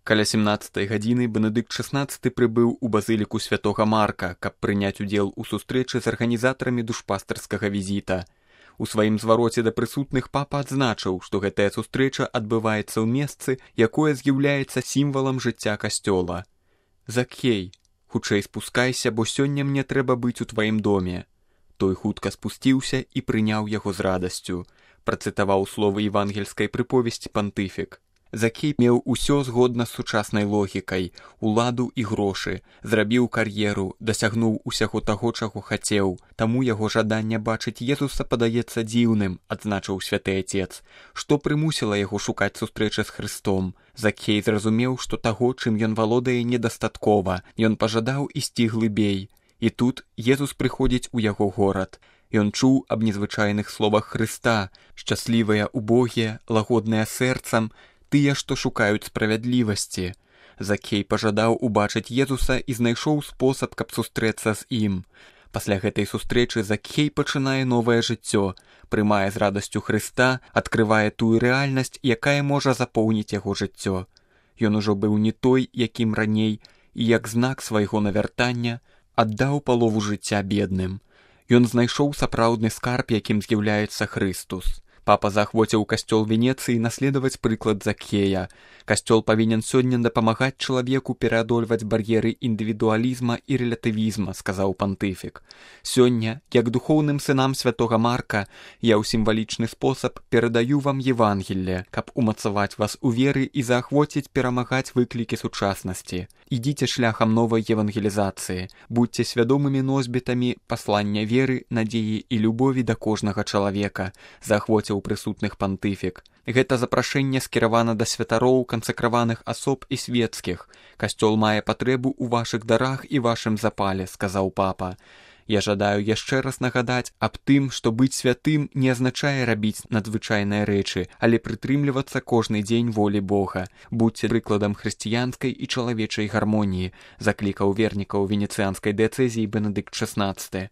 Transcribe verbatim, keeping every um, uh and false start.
Каля сямнаццатай гадзіны Бенедыкт шаснаццаты прыбыў у базыліку святога Марка, каб прыняць удзел у сустрэчы з арганізатарамі душпастарскага візіта. У сваім звароце да прысутных папа адзначыў, што гэтая сустрэча адбываецца ў месцы, якое з'яўляецца сімвалам жыцця касцёла. «Закхей, хутчэй спускайся, бо сёння мне трэба быць у тваім доме». Той хутка спусціўся і прыняў яго з радасцю. Працытаваў словы евангельскай прыповесці пантыфік. Закхей меў усё згодна з сучаснай логікай, уладу і грошы, зрабіў кар'еру, дасягнуў усяго таго, чаго хацеў. Таму яго жаданне бачыць Езуса падаецца дзіўным, адзначыў святы Ацец. Што прымусіла яго шукаць сустрэчы з Хрыстом? Закхей зразумеў, што таго, чым ён валодае, недастаткова. Ён пажадаў ісці глыбей. І тут Езус прыходзіць у яго горад. Ён чуў аб незвычайных словах Хрыста, шчаслівыя убогія, лагодныя сэрцам, тыя, што шукаюць справядлівасці. Закхей пажадаў убачыць Езуса і знайшоў спосаб, каб сустрэцца з ім. Пасля гэтай сустрэчы Закхей пачынае новае жыццё, прымае з радасцю Хрыста, адкрывае тую рэальнасць, якая можа запоўніць яго жыццё. Ён ужо быў не той, якім раней, і як знак свайго навяртання аддаў палову жыцця бедным. Ён знайшоў сапраўдны скарб, якім з'яўляецца Хрыстус. Папа заахвоціў касцёл Венецыі наследаваць прыклад Закхея. Касцёл павінен сёння дапамагаць чалавеку пераадольваць бар'еры індывідуалізма і рэлятывізма, сказаў пантыфік. Сёння, як духоўным сынам святога Марка, я ў сімвалічны спосаб перадаю вам Евангелле, каб умацаваць вас у веры і заахвоціць перамагаць выклікі сучаснасці. Ідзіце шляхам новай евангелізацыі, будьце свядомымі носьбітамі паслання веры, надзеі і любові да кожнага чалавека, заахвоціў у прысутных пантыфік. Гэта запрашэнне скіравана да святароў, кансакраваных асоб і свецкіх. Касцёл мае патрэбу ў вашых дарах і вашым запале, сказаў папа. Я жадаю яшчэ раз нагадаць аб тым, што быць святым не азначае рабіць надзвычайныя рэчы, але прытрымлівацца кожны дзень волі Бога. Будьце прыкладам хрысціянскай і чалавечай гармоніі, заклікаў вернікаў венецыянскай дыяцэзіі Бенедыкт шаснаццаты.